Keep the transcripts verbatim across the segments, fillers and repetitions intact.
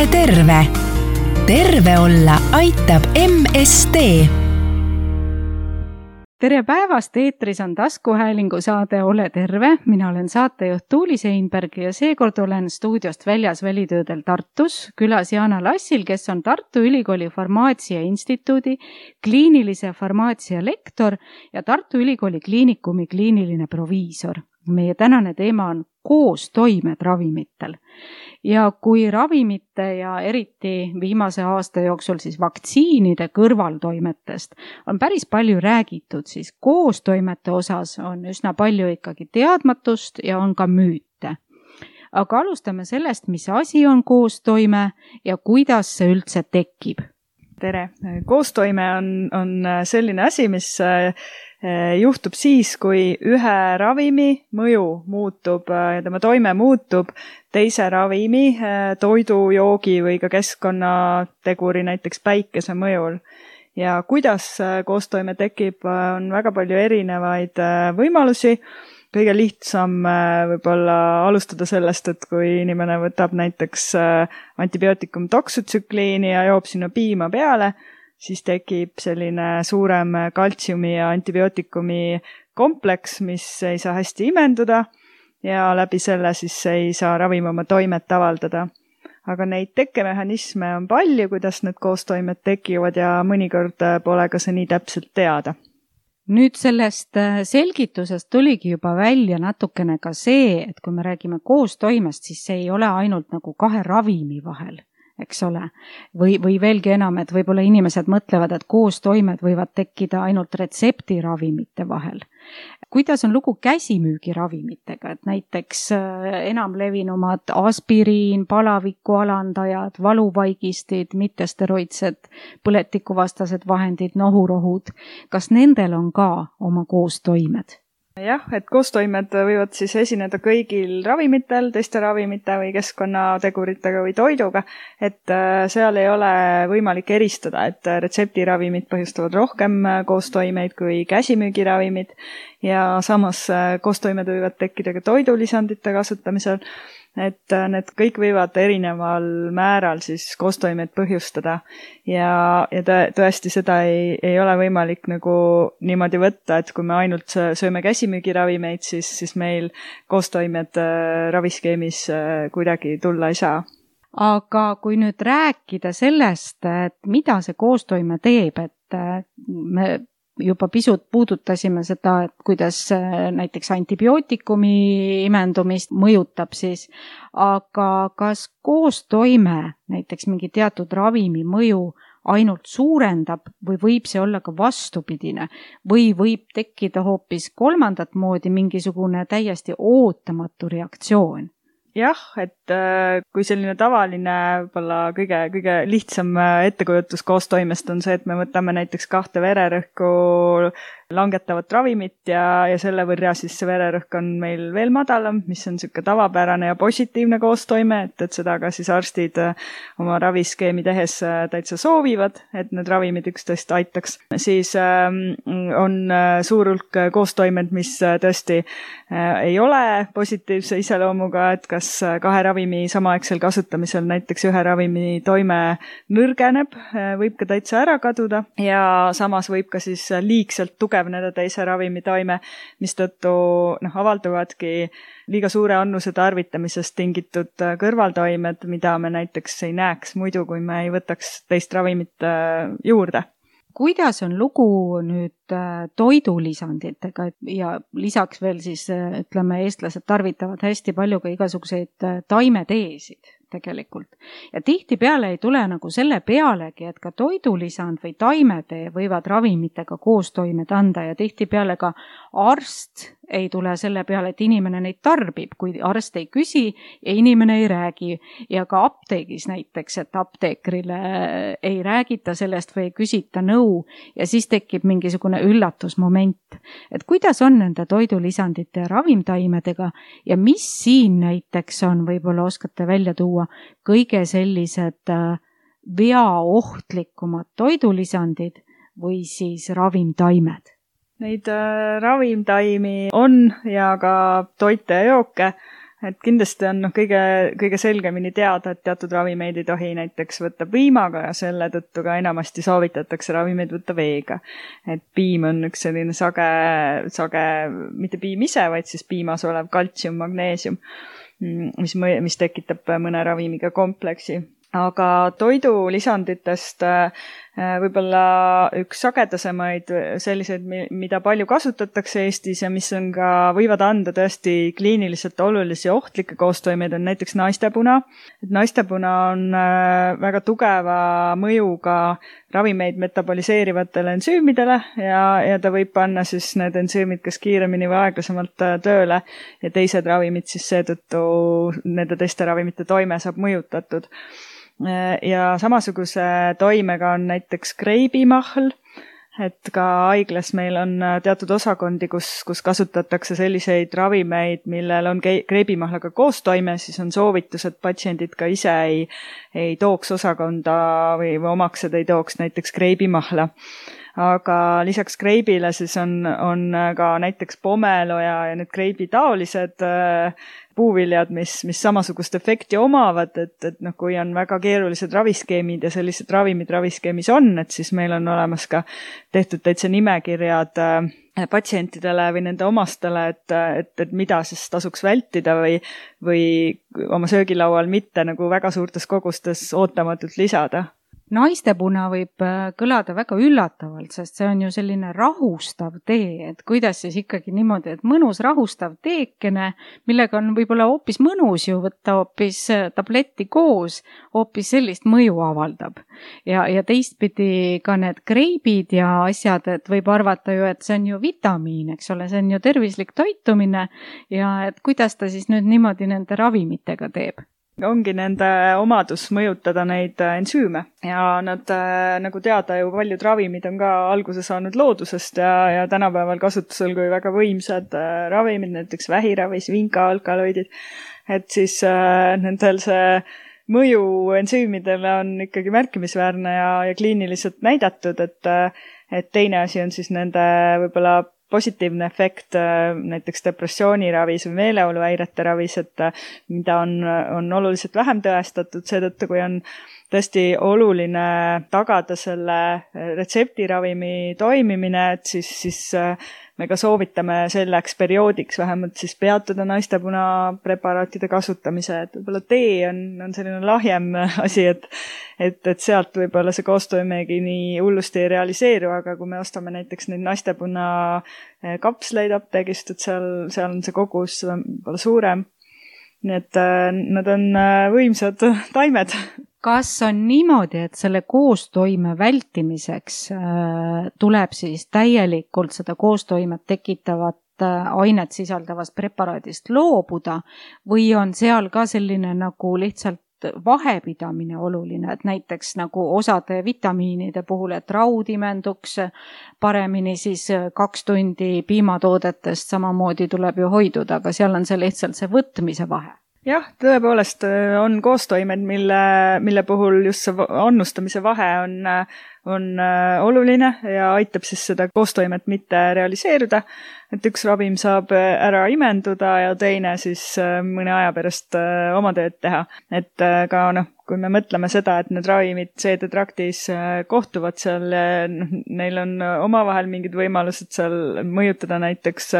Ole terve! Terve olla aitab M S D. Tere päevast, eetris on taskuhäälingu saade Ole terve. Mina olen saatejuht Tuuli Seinberg ja seekord olen stuudiost väljas välitöödel Tartus, külas Jaana Lassil, kes on Tartu Ülikooli Farmaatsia Instituudi kliinilise farmaatsia lektor ja Tartu Ülikooli kliinikumi kliiniline proviisor. Meie tänane teema on koostoimed ravimitel. Ja kui ravimite ja eriti viimase aasta jooksul siis vaktsiinide kõrvaltoimetest on päris palju räägitud, siis koostoimete osas on üsna palju ikkagi teadmatust ja on ka müüte. Aga alustame sellest, mis asi on koostoime ja kuidas see üldse tekib. Tere! Koostoime on, on selline asi, mis juhtub siis, kui ühe ravimi mõju muutub ja tema toime muutub teise ravimi, toidu, joogi või ka keskkonnateguri, näiteks päikese mõjul. Ja kuidas koostoime tekib, on väga palju erinevaid võimalusi. Kõige lihtsam võib-olla alustada sellest, et kui inimene võtab näiteks antibiootikum doksutsükliini ja joob sinna piima peale, siis tekib selline suurem kaltsiumi ja antibiootikumi kompleks, mis ei saa hästi imenduda ja läbi selle siis ei saa ravim oma toimet avaldada. Aga neid tekkemehhanisme on palju, kuidas need koostoimed tekivad ja mõnikord pole ka see nii täpselt teada. Nüüd sellest selgitusest tuligi juba välja natukene ka see, et kui me räägime koostoimest, siis see ei ole ainult nagu kahe ravimi vahel, eks ole. Või, või veelgi enam, et võib-olla inimesed mõtlevad, et koostoimed võivad tekkida ainult retseptiravimite vahel. Kuidas on lugu käsimüügiravimitega, et näiteks enamlevinumad aspiriin, palaviku alandajad, valuvaigistid, mittesteroidsed, põletikuvastased vahendid, nohurohud, kas nendel on ka oma koostoimed? Jah, et koostoimed võivad siis esineda kõigil ravimitel, teiste ravimite või keskkonnateguritega või toiduga, et seal ei ole võimalik eristada, et retseptiravimid põhjustavad rohkem koostoimeid kui käsimüügiravimid ja samas koostoimed võivad tekkida ka toidulisandite kasutamisel, et need kõik võivad erineval määral siis koostoimeid põhjustada ja, ja tõesti seda ei, ei ole võimalik nagu niimoodi võtta, et kui me ainult sööme käsimüügiravimeid, siis, siis meil koostoimed raviskeemis kuidagi tulla ei saa. Aga kui nüüd rääkida sellest, et mida see koostoime teeb, et me juba pisut puudutasime seda, et kuidas näiteks antibiootikumi imendumist mõjutab siis, aga kas koostoime näiteks mingi teatud ravimi mõju ainult suurendab või võib see olla ka vastupidine või võib tekkida hoopis kolmandat moodi mingisugune täiesti ootamatu reaktsioon? Jah, et kui selline tavaline, võib-olla kõige, kõige lihtsam ettekujutus koostoimest on see, et me võtame näiteks kahte vererõhku langetavat ravimit ja, ja selle võrra siis see vererõhk on meil veel madalam, mis on niisugune tavapärane ja positiivne koostoime, et, et seda ka siis arstid oma raviskeemi tehes täitsa soovivad, et need ravimid üksteist aitaks. Siis ähm, on suur hulk koostoimed, mis tõesti äh, ei ole positiivse iseloomuga, et kas kahe ravimi samaaegsel kasutamisel näiteks ühe ravimi toime nõrgeneb, võib ka täitsa ära kaduda ja samas võib ka siis liigselt tugevneda teise ravimi toime, mistõttu noh, avalduvadki liiga suure annuse tarvitamisest tingitud kõrvaltoimed, mida me näiteks ei näeks muidu, kui me ei võtaks teist ravimit juurde. Kuidas on lugu nüüd toidulisanditega ja lisaks veel siis, ütleme, eestlased tarvitavad hästi palju ka igasuguseid taimeteesid tegelikult. Ja tihtipeale ei tule nagu selle pealegi, et ka toidulisand või taimetee võivad ravimitega koostoimed anda ja tihtipeale ka arst ei tule selle peale, et inimene neid tarbib, kui arst ei küsi ja inimene ei räägi. Ja ka apteegis näiteks, et apteekrile ei räägita sellest või ei küsita nõu ja siis tekib mingisugune üllatusmoment. Et kuidas on nende toidulisandite ja ravimtaimedega ja mis siin näiteks on, võib-olla oskate välja tuua, kõige sellised veaohtlikumad toidulisandid või siis ravimtaimed? Neid äh, ravimtaimi on ja ka toite ja jooke et kindlasti on noh, kõige, kõige selgemini teada, et teatud ravimeid ei tohi näiteks võtta piimaga ja selle tõttu ka enamasti soovitatakse ravimeid võtta veega. Et piim on üks selline sage, sage, mitte piim ise, vaid siis piimas olev kaltsium, magneesium, mis, mis tekitab mõne ravimiga kompleksi. Aga toidulisanditest võib-olla üks sagedasemaid selliseid, mida palju kasutatakse Eestis ja mis on ka, võivad anda tõesti kliiniliselt olulisi ohtlikke koostoimeid, on näiteks naistepuna. Et naistepuna on väga tugeva mõjuga ravimeid metaboliseerivatele ensüümidele ja, ja ta võib panna siis need ensüümid kas kiiremini või aeglasemalt tööle ja teised ravimid siis seetõttu nende teiste ravimite toime saab mõjutatud. Ja samasuguse toimega on näiteks kreibimahl, et ka haiglas meil on teatud osakondi, kus, kus kasutatakse selliseid ravimeid, millel on kreibimahlaga koostoime, siis on soovitus, et patsiendid ka ise ei, ei tooks osakonda või, või omaksed ei tooks näiteks kreibimahla. Aga lisaks kreibile siis on, on ka näiteks pomelo ja, ja need kreibi taolised äh, puuviljad, mis, mis samasugust efekti omavad, et, et noh, kui on väga keerulised raviskeemid ja sellised ravimid raviskeemis on, et siis meil on olemas ka tehtud täitsa nimekirjad äh, patsientidele või nende omastele, et, et, et mida siis tasuks vältida või, või oma söögilaual mitte nagu väga suurtes kogustes ootamatult lisada. Naistepuna võib kõlada väga üllatavalt, sest see on ju selline rahustav tee, et kuidas siis ikkagi niimoodi, et mõnus rahustav teekene, millega on võib-olla hoopis mõnus ju võtta hoopis tabletti koos, hoopis sellist mõju avaldab. Ja, ja teistpidi ka need kreibid ja asjad, et võib arvata ju, et see on ju vitamiin, eks ole, see on ju tervislik toitumine ja et kuidas ta siis nüüd niimoodi nende ravimitega teeb. Ongi nende omadus mõjutada neid ensüüme ja nad, nagu teada ju, paljud ravimid on ka alguse saanud loodusest ja, ja tänapäeval kasutusel kui väga võimsad ravimid, näiteks vähiravis, vinka-alkaloidid, et siis äh, nendel see mõju ensüümidele on ikkagi märkimisväärne ja, ja kliiniliselt näidatud, et, et teine asi on siis nende võib-olla positiivne efekt näiteks depressiooniravis või meeleoluhäirete ravis, et mida on, on oluliselt vähem tõestatud, seetõttu kui on tõesti oluline tagada selle retseptiravimi toimimine, et siis, siis me ka soovitame selleks perioodiks vähemalt siis peatada naistepuna preparaatide kasutamise, et võib-olla tee on, on selline lahjem asi, et, et, et sealt võib-olla see koostoimegi nii hullusti ei realiseeru, aga kui me ostame näiteks neid naistepuna kapsleid apteegist, et seal, seal on see kogus võib-olla suurem. Nii et nad on võimsad taimed. Kas on niimoodi, et selle koostoime vältimiseks äh, tuleb siis täielikult seda koostoimet tekitavat äh, ainet sisaldavast preparaadist loobuda või on seal ka selline nagu lihtsalt vahepidamine oluline, et näiteks nagu osade vitamiinide puhul, et raud imenduks paremini, siis kaks tundi piimatoodetest samamoodi tuleb ju hoiduda, aga seal on see lihtsalt see võtmise vahe. Jah, tõepoolest on koostoimed, mille, mille puhul just see annustamise vahe on, on oluline ja aitab siis seda koostoimet mitte realiseeruda. Et üks ravim saab ära imenduda ja teine siis mõne aja pärast oma tööd teha. Et ka noh, kui me mõtleme seda, et need ravimid seedetraktis kohtuvad seal, neil on omavahel mingid võimalused seal mõjutada näiteks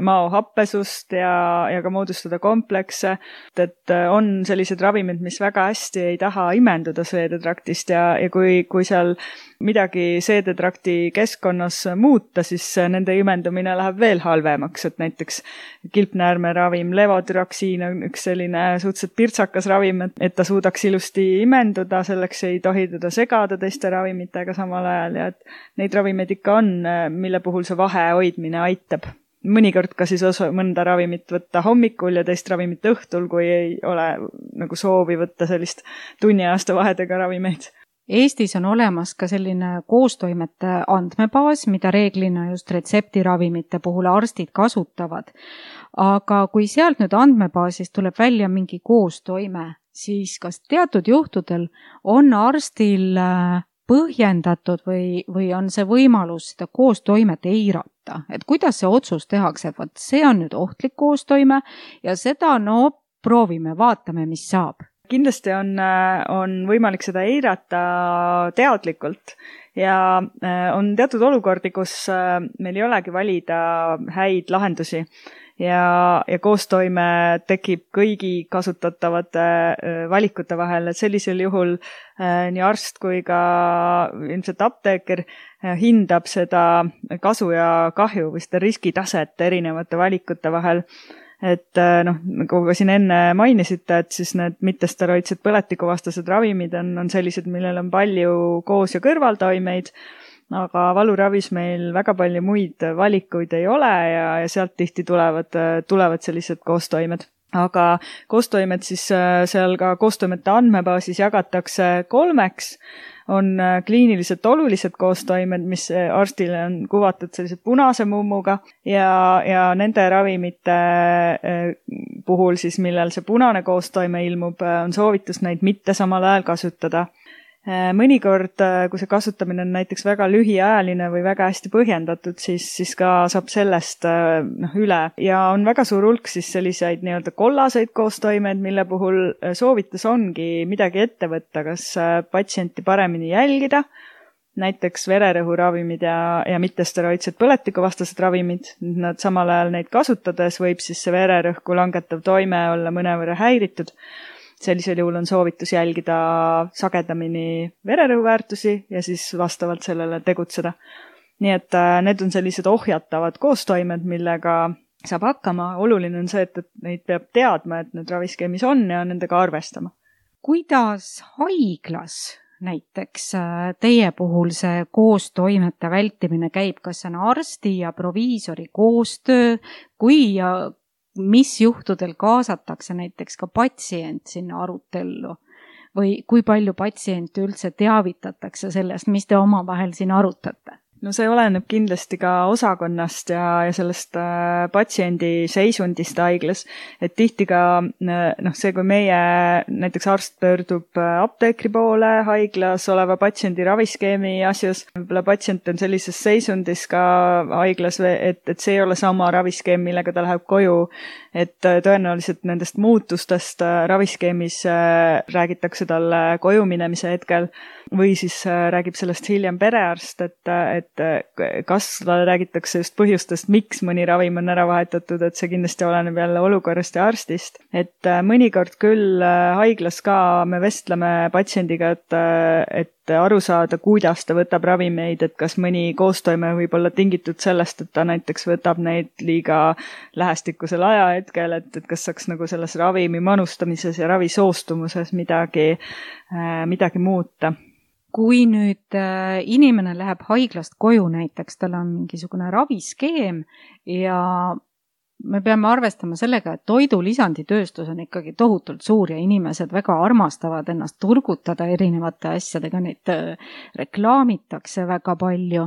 maohappesust ja, ja ka moodustada komplekse. Et on sellised ravimid, mis väga hästi ei taha imenduda seedetraktist ja, ja kui, kui seal midagi seedetrakti keskkonnas muuta, siis nende imendumine läheb veel halvemaks, et näiteks kilpnäärmeravim levotyroksiin on üks selline suhteliselt pirtsakas ravim, et ta suudaks ilusti imenduda, selleks ei tohi teda segada teiste ravimitega samal ajal ja et neid ravimeid ikka on, mille puhul see vahe hoidmine aitab. Mõnikord ka siis osa, mõnda ravimit võtta hommikul ja teist ravimit õhtul, kui ei ole nagu soovi võtta sellist tunniaasta vahedega ravimeid. Eestis on olemas ka selline koostoimete andmebaas, mida reeglina just retseptiravimite puhul arstid kasutavad. Aga kui sealt nüüd andmebaasist tuleb välja mingi koostoime, siis kas teatud juhtudel on arstil põhjendatud või, või on see võimalus seda koostoimet eirata, et kuidas see otsus tehakse, et võt see on nüüd ohtlik koostoime ja seda no proovime, vaatame, mis saab. Kindlasti on, on võimalik seda eirata teadlikult ja on teatud olukordi, kus meil ei olegi valida häid lahendusi ja, ja koostoime tekib kõigi kasutatavate valikute vahel, et sellisel juhul nii arst kui ka ilmselt apteeker hindab seda kasu ja kahju või seda riskitaset erinevate valikute vahel. Et noh, nagu ka siin enne mainisite, et siis need mittesteroidsed põletikuvastased ravimid on, on sellised, millel on palju koos- ja kõrvaltoimeid, aga valuravis meil väga palju muid valikuid ei ole ja, ja sealt tihti tulevad, tulevad sellised koostoimed. Aga koostoimed siis seal ka koostoimete andmebaasis jagatakse kolmeks. On kliiniliselt olulised koostoimed, mis arstile on kuvatud sellised punase mummuga ja, ja nende ravimite puhul siis, millel see punane koostoime ilmub, on soovitus neid mitte samal ajal kasutada. Mõnikord, kui see kasutamine on näiteks väga lühiajaline või väga hästi põhjendatud, siis, siis ka saab sellest noh, üle. Ja on väga suur hulk siis selliseid nii-öelda kollaseid koostoimed, mille puhul soovitus ongi midagi ette võtta, kas patsienti paremini jälgida, näiteks vererõhuravimid ja, ja mittesteroidsed põletikuvastased ravimid. Nad samal ajal neid kasutades võib siis see vererõhku langetav toime olla mõnevõrra häiritud. Sellisel juhul on soovitus jälgida sagedamini vererõhuväärtusi ja siis vastavalt sellele tegutseda. Nii et need on sellised ohjatavad koostoimed, millega saab hakkama. Oluline on see, et, et neid peab teadma, et need raviskeemis on ja nendega arvestama. Kuidas haiglas näiteks teie puhul see koostoimete vältimine käib? Kas see on arsti ja proviisori koostöö, kui ja mis juhtudel kaasatakse näiteks ka patsient sinna arutellu või kui palju patsiente üldse teavitatakse sellest, mis te omavahel siin arutate? No see oleneb kindlasti ka osakonnast ja, ja sellest äh, patsiendi seisundist haiglas, et tihti ka noh, see, kui meie näiteks arst pöördub apteekri poole haiglas oleva patsiendi raviskeemi asjus, võib-olla patsient on sellises seisundis ka haiglas, et, et see ei ole sama raviskeem, millega ta läheb koju, et tõenäoliselt nendest muutustest raviskeemis äh, räägitakse talle koju minemise hetkel või siis äh, räägib sellest hiljem perearst, et, et kas räägitakse just põhjustest, miks mõni ravim on ära vahetatud, et see kindlasti oleneb jälle olukorrast ja arstist. Et mõnikord küll haiglas ka me vestleme patsiendiga, et, et aru saada, kuidas ta võtab ravimeid, et kas mõni koostoime võib olla tingitud sellest, et ta näiteks võtab neid liiga lähestikusel ajahetkel, et, et kas saaks nagu selles ravimi manustamises ja ravisoostumuses midagi, midagi muuta. Kui nüüd äh, inimene läheb haiglast koju näiteks, tal on mingisugune raviskeem ja me peame arvestama sellega, et toidulisanditööstus on ikkagi tohutult suur ja inimesed väga armastavad ennast turgutada erinevate asjadega, neid äh, reklaamitakse väga palju.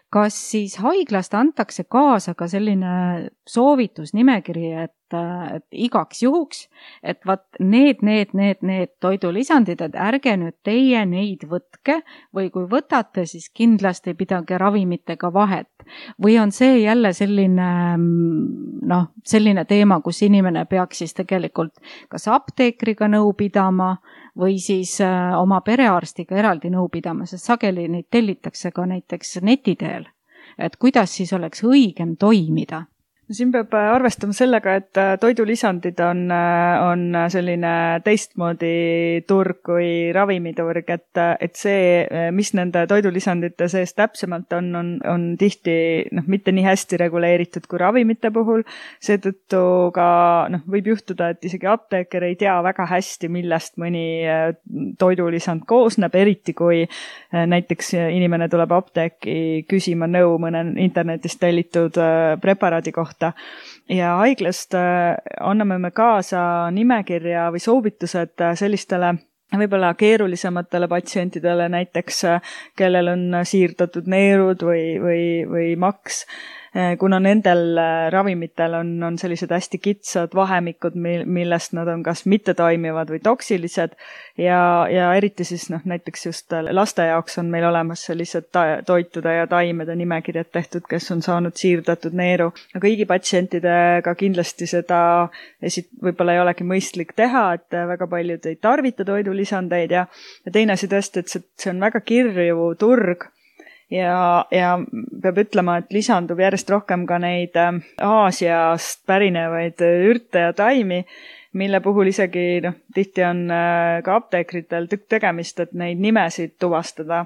Kas siis haiglast antakse kaasa ka selline soovitusnimekiri, et et igaks juhuks, et vat need, need, need, need toidulisandid, et ärge nüüd teie neid võtke või kui võtate, siis kindlasti pidage ravimitega vahet. Või on see jälle selline, noh, selline teema, kus inimene peaks siis tegelikult kas apteekriga nõu pidama või siis oma perearstiga eraldi nõu pidama, sest sageli neid tellitakse ka näiteks neti teel. Et kuidas siis oleks õigem toimida? Siin peab arvestama sellega, et toidulisandid on, on selline teistmoodi turg kui ravimiturg, et, et see, mis nende toidulisandite sees täpsemalt on, on, on tihti noh, mitte nii hästi reguleeritud kui ravimite puhul. Seetõttu ka noh, võib juhtuda, et isegi apteeker ei tea väga hästi, millest mõni toidulisand koosneb, eriti kui näiteks inimene tuleb apteeki küsima nõu mõne internetist tellitud preparaadi kohta. Ja haiglast anname me kaasa nimekirja või soovitused sellistele võib-olla keerulisematele patsientidele, näiteks kellel on siirdatud neerud või, või, või maks, kuna nendel ravimitel on, on sellised hästi kitsad vahemikud, millest nad on kas mittetoimivad või toksilised ja, ja eriti siis noh, näiteks just laste jaoks on meil olemas sellised ta- toitude ja taimede nimekirjad tehtud, kes on saanud siirdatud neeru. kõigi patsientidega kindlasti seda esit- võib-olla ei olegi mõistlik teha, et väga paljud ei tarvita toidulisandeid ja, ja teine asi tõesti, et see, see on väga kirju turg ja, ja peab ütlema, et lisandub järjest rohkem ka neid Aasiast pärinevaid ürte ja taimi, mille puhul isegi noh, tihti on ka apteekritel tükk tegemist, et neid nimesid tuvastada.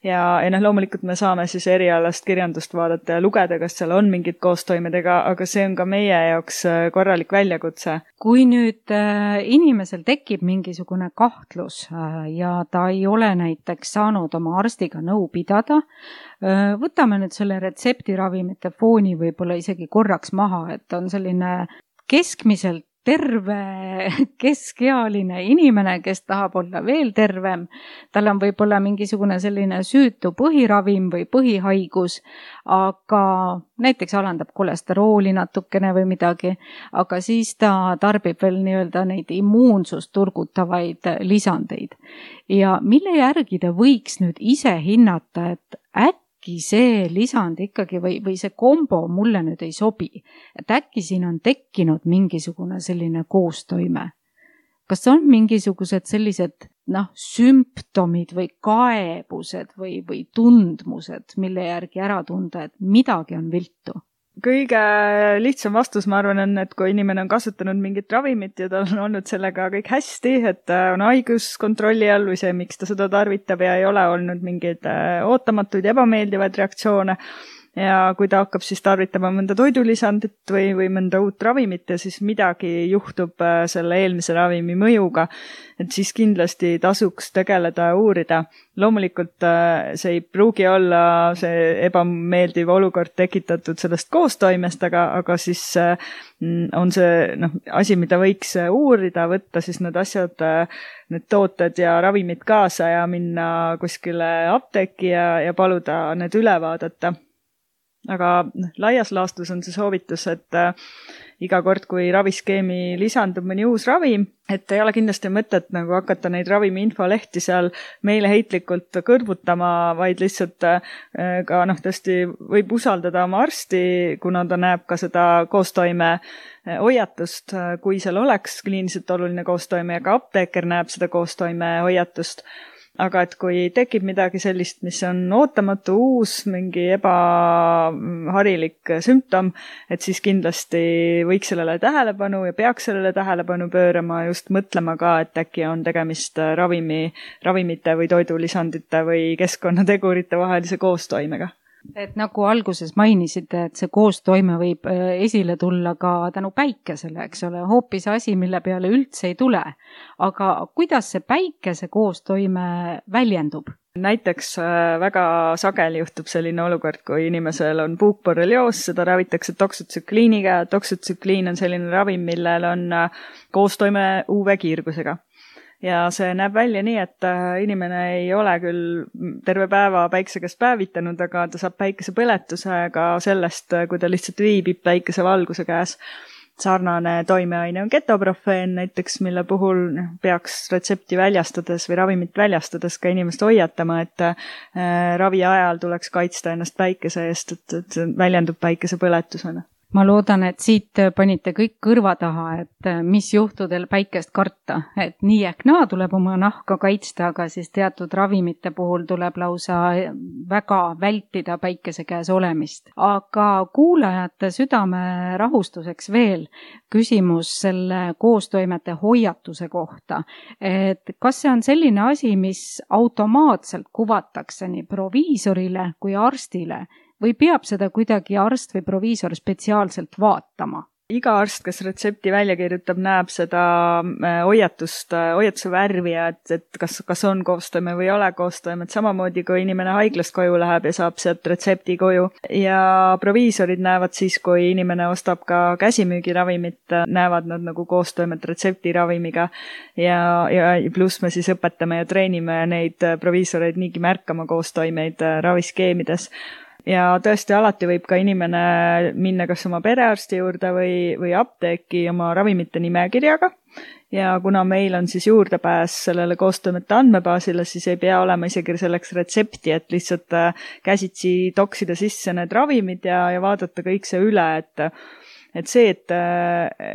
Ja, ja noh, loomulikult me saame siis erialast kirjandust vaadata ja lugeda, kas seal on mingid koostoimedega, aga see on ka meie jaoks korralik väljakutse. Kui nüüd inimesel tekib mingisugune kahtlus ja ta ei ole näiteks saanud oma arstiga nõu pidada, võtame nüüd selle retseptiravimite fooni võib-olla isegi korraks maha, et on selline keskmiselt terve keskealine inimene, kes tahab olla veel tervem. Tal on võib-olla mingisugune selline süütu põhiravim või põhihaigus, aga näiteks alandab kolesterooli natukene või midagi, aga siis ta tarbib veel nii-öelda neid immuunsust turgutavaid lisandeid. Ja mille järgi ta võiks nüüd ise hinnata, et äkki see lisand ikkagi või, või see kombo mulle nüüd ei sobi. Et äkki siin on tekkinud mingisugune selline koostoime. Kas on mingisugused sellised noh, sümptomid või kaebused või, või tundmused, mille järgi ära tunda, et midagi on viltu? Kõige lihtsam vastus, ma arvan, on, et kui inimene on kasutanud mingit ravimit ja tal on olnud sellega kõik hästi, et on haigus kontrolli all või see, miks ta seda tarvitab ja ei ole olnud mingeid ootamatuid ebameeldivaid reaktsioone. Ja kui ta hakkab siis tarvitama mõnda toidulisandit või, või mõnda uut ravimit ja siis midagi juhtub selle eelmise ravimi mõjuga, et siis kindlasti tasuks tegeleda ja uurida. Loomulikult see ei pruugi olla see ebameeldiv olukord tekitatud sellest koostoimest, aga, aga siis on see noh, asi, mida võiks uurida, võtta siis need asjad, need tooted ja ravimid kaasa ja minna kuskile apteeki ja, ja paluda need üle vaadata. Aga laias laastus on see soovitus, et äh, iga kord, kui raviskeemi lisandub mõni uus ravim, et ei ole kindlasti mõtet nagu hakata neid ravimi infolehti seal meeleheitlikult kõrvutama, vaid lihtsalt äh, ka noh, tõesti võib usaldada oma arsti, kuna ta näeb ka seda koostoime hoiatust, kui seal oleks kliiniliselt oluline koostoime ja ka apteeker näeb seda koostoime hoiatust. Aga et kui tekib midagi sellist, mis on ootamatu uus, mingi ebaharilik sümptom, et siis kindlasti võiks sellele tähelepanu ja peaks sellele tähelepanu pöörama, just mõtlema ka, et äkki on tegemist ravimi, ravimite või toidulisandite või keskkonnategurite vahelise koostoimega. Et nagu alguses mainisite, et see koostoime võib esile tulla ka tänu päikesele, eks ole, hoopis asi, mille peale üldse ei tule. Aga kuidas see päikese koostoime väljendub? Näiteks väga sageli juhtub selline olukord, kui inimesel on puukborrelioos, seda ravitakse toksotsükliiniga. Toksotsükliin on selline ravim, millel on koostoime U V-kiirgusega. Ja see näeb välja nii, et inimene ei ole küll terve päeva päikse käest päevitanud, aga ta saab päikesepõletuse ka sellest, kui ta lihtsalt viibib päikesevalguse käes. Sarnane toimeaine on ketoprofeen näiteks, mille puhul peaks retsepti väljastades või ravimit väljastades ka inimest hoiatama, et ravi ajal tuleks kaitsta ennast päikese eest, et, et see väljendub päikesepõletusena. Ma loodan, et siit panite kõik kõrva taha, et mis juhtudel päikest karta, et nii ehk naa tuleb oma nahka kaitsta, aga siis teatud ravimite puhul tuleb lausa väga vältida päikese käes olemist. Aga kuulajate südame rahustuseks veel küsimus selle koostoimete hoiatuse kohta, et kas see on selline asi, mis automaatselt kuvatakse nii proviisorile kui arstile, või peab seda kuidagi arst või proviisor spetsiaalselt vaatama? Iga arst, kes retsepti välja kirjutab, näeb seda hoiatust, hoiatuse värvi ja et, et kas, kas on koostoime või ei ole koostoime. Et samamoodi, kui inimene haiglast koju läheb ja saab sealt retsepti koju. Ja proviisorid näevad siis, kui inimene ostab ka käsimüügiravimit, näevad nad nagu koostoimet retseptiravimiga. Ja, ja pluss me siis õpetame ja treenime neid proviisoreid niigi märkama koostoimeid raviskeemides. ja tõesti alati võib ka inimene minna kas oma perearsti juurde või, või apteeki oma ravimite nimekirjaga. Ja kuna meil on siis juurdepääs sellele koostoimete andmebaasile, siis ei pea olema isegi selleks retsepti, et lihtsalt käsitsi toksida sisse need ravimid ja, ja vaadata kõik see üle, et et see, et,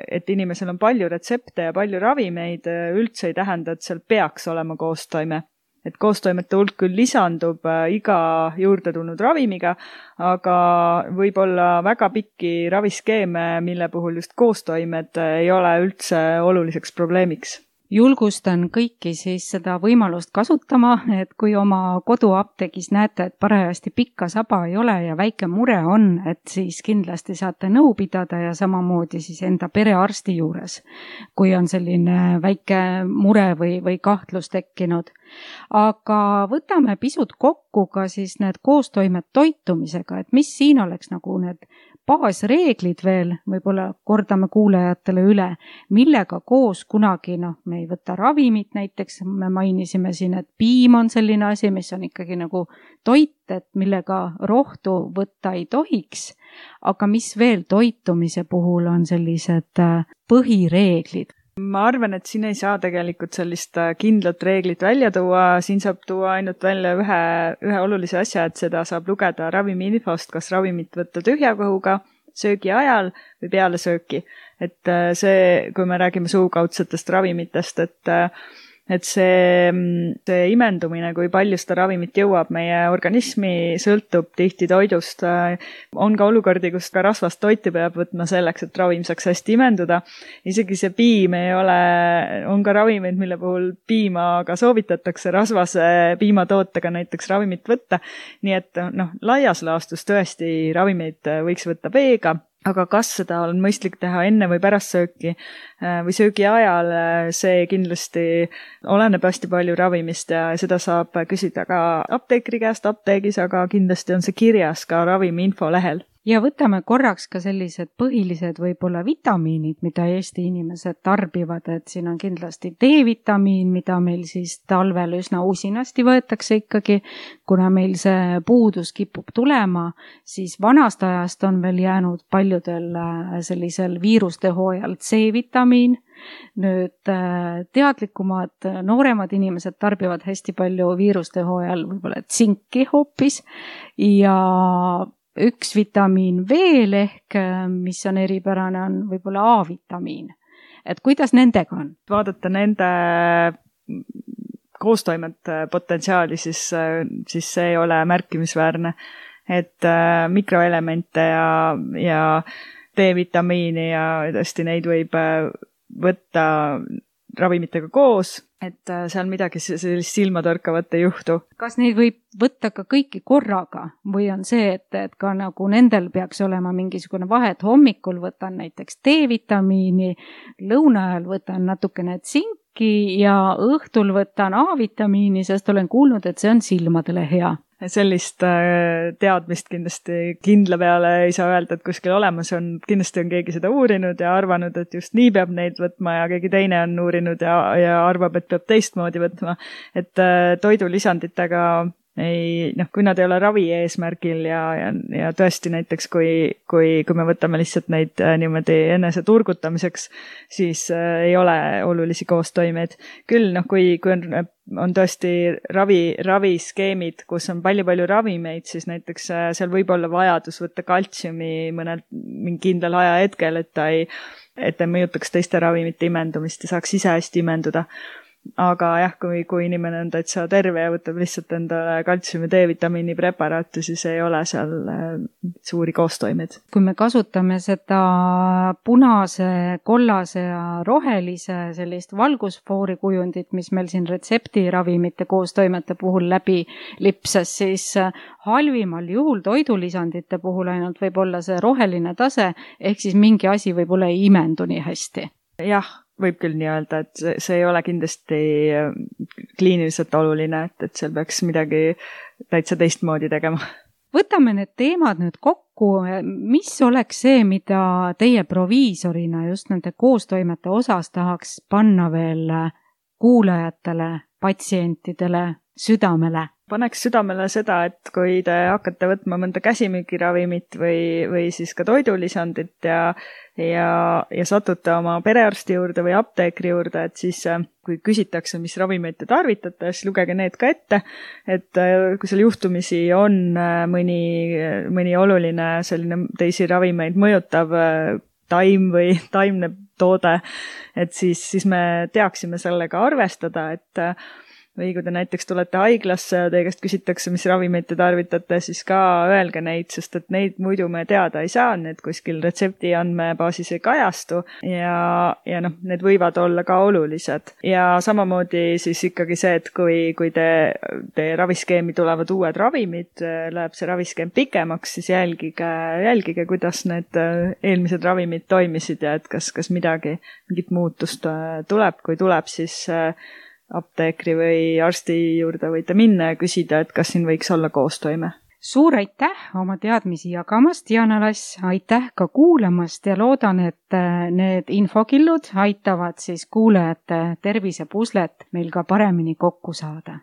et inimesel on palju retsepte ja palju ravimeid, üldse ei tähenda, et seal peaks olema koostoime. Et koostoimete hulk küll lisandub iga juurde tulnud ravimiga, aga võib olla väga pikki raviskeeme, mille puhul just koostoimed ei ole üldse oluliseks probleemiks. Julgustan kõiki siis seda võimalust kasutama, et kui oma koduapteegis näete, et parajasti pikka saba ei ole ja väike mure on, et siis kindlasti saate nõu pidada ja samamoodi siis enda perearsti juures, kui on selline väike mure või, või kahtlus tekkinud. Aga võtame pisut kokku ka siis need koostoimed toitumisega, et mis siin oleks nagu need baasreeglid veel, võib-olla kordame kuulajatele üle, millega koos kunagi, noh, me ei võta ravimit näiteks, me mainisime siin, et piim on selline asi, mis on ikkagi nagu toit, et millega rohtu võtta ei tohiks, aga mis veel toitumise puhul on sellised põhireeglid? Ma arvan, et siin ei saa tegelikult sellist kindlat reeglit välja tuua, siin saab tuua ainult välja ühe, ühe olulise asja, et seda saab lugeda ravimiinfost, kas ravimit võtta tühja kõhuga, söögi ajal või peale sööki. Et see, kui me räägime suukaudsetest ravimitest, et et see, see imendumine, kui palju seda ravimit jõuab meie organismi, sõltub tihti toidust. On ka olukordi, kus ka rasvast toiti peab võtma selleks, et ravim saaks hästi imenduda. Isegi see piim ei ole, on ka ravimeid, mille puhul piima ka soovitatakse rasvase piimatootega näiteks ravimit võtta. Nii et noh, laias laastus tõesti ravimeid võiks võtta veega. Aga kas seda on mõistlik teha enne või pärast sööki või söögi ajal, see kindlasti oleneb hästi palju ravimist ja seda saab küsida ka apteekri käest apteegis, aga kindlasti on see kirjas ka ravimi infolehel. Ja võtame korraks ka sellised põhilised võib-olla vitamiinid, mida Eesti inimesed tarbivad, et siin on kindlasti D-vitamiin, mida meil siis talvel üsna usinasti võetakse ikkagi, kuna meil see puudus kipub tulema, siis vanast ajast on veel jäänud paljudel sellisel viiruste hooajal C-vitamiin. Nüüd teadlikumad nooremad inimesed tarbivad hästi palju viiruste hooajal võib-olla tsinki hoopis ja üks vitamiin veel ehk, mis on eripärane, on võib-olla A-vitamiin. Et kuidas nendega on? Vaadata nende koostoimet potentsiaali, siis, siis see ei ole märkimisväärne. Et mikroelemente ja, ja D-vitamiini ja tõesti neid võib võtta ravimitega koos, et seal midagi sellist silmatorkavat ei juhtu. Kas neid võib võtta ka kõiki korraga või on see, et, et ka nagu nendel peaks olema mingisugune vahe, et hommikul võtan näiteks D-vitamiini, lõuna ajal võtan natukene tsinki ja õhtul võtan A-vitamiini, sest olen kuulnud, et see on silmadele hea. Sellist teadmist kindlasti kindla peale ei saa öelda, et kuskil olemas on, kindlasti on keegi seda uurinud ja arvanud, et just nii peab neid võtma ja keegi teine on uurinud ja, ja arvab, et peab teistmoodi võtma. Et toidulisanditega ei, noh, kui nad ei ole ravi eesmärgil ja, ja, ja tõesti näiteks, kui, kui, kui me võtame lihtsalt neid niimoodi enese turgutamiseks, siis äh, ei ole olulisi koostoimeid. Küll, noh, kui, kui on, on tõesti ravi, raviskeemid, kus on palju-palju ravimeid, siis näiteks äh, seal võib olla vajadus võtta kaltsiumi mõnel mingi kindlal ajahetkel, et ta ei, et ta mõjutaks teiste ravimite imendumist ja saaks ise hästi imenduda. Aga jah, kui, kui inimene on täitsa terve ja võtab lihtsalt endale kaltsiumi D-vitamiini preparaati, siis ei ole seal suuri koostoimeid. Kui me kasutame seda punase, kollase ja rohelise sellist valgusfoori kujundit, mis meil siin retseptiravimite koostoimete puhul läbi lipsas, siis halvimal juhul toidulisandite puhul ainult võib olla see roheline tase, ehk siis mingi asi võib-olla ei imendu nii hästi. Jah, võib küll nii öelda, et see, see ei ole kindlasti kliiniliselt oluline, et, et seal peaks midagi täitsa teistmoodi tegema. Võtame need teemad nüüd kokku. Mis oleks see, mida teie proviisorina just nende koostoimete osas tahaks panna veel kuulajatele, patsientidele südamele? paneks südamele seda, et kui te hakkate võtma mõnda käsimüügiravimit või, või siis ka toidulisandit ja, ja, ja satute oma perearsti juurde või apteekri juurde, et siis kui küsitakse, mis ravimeid te tarvitate, siis lugege need ka ette, et kui seal juhtumisi on mõni, mõni oluline selline teisi ravimeid mõjutav taim või taimne toode, et siis, siis me teaksime sellega arvestada, et või kui te näiteks tulete haiglasse ja teie käest küsitakse, mis ravimeid te tarvitate, siis ka öelge neid, sest et neid muidu me teada ei saa, need kuskil retsepti andmebaasis ei kajastu ja, ja noh, need võivad olla ka olulised. Ja samamoodi siis ikkagi see, et kui, kui te, teie raviskeemi tulevad uued ravimid, läheb see raviskeem pikemaks, siis jälgige, jälgige, kuidas need eelmised ravimid toimisid ja et kas, kas midagi, mingit muutust tuleb, kui tuleb, siis apteekri või arsti juurde võite minna ja küsida, et kas siin võiks olla koostoime. Suur aitäh oma teadmisi jagamast, Diana Lass, aitäh ka kuulamast ja loodan, et need infokillud aitavad siis kuulajate tervisepuslet meil ka paremini kokku saada.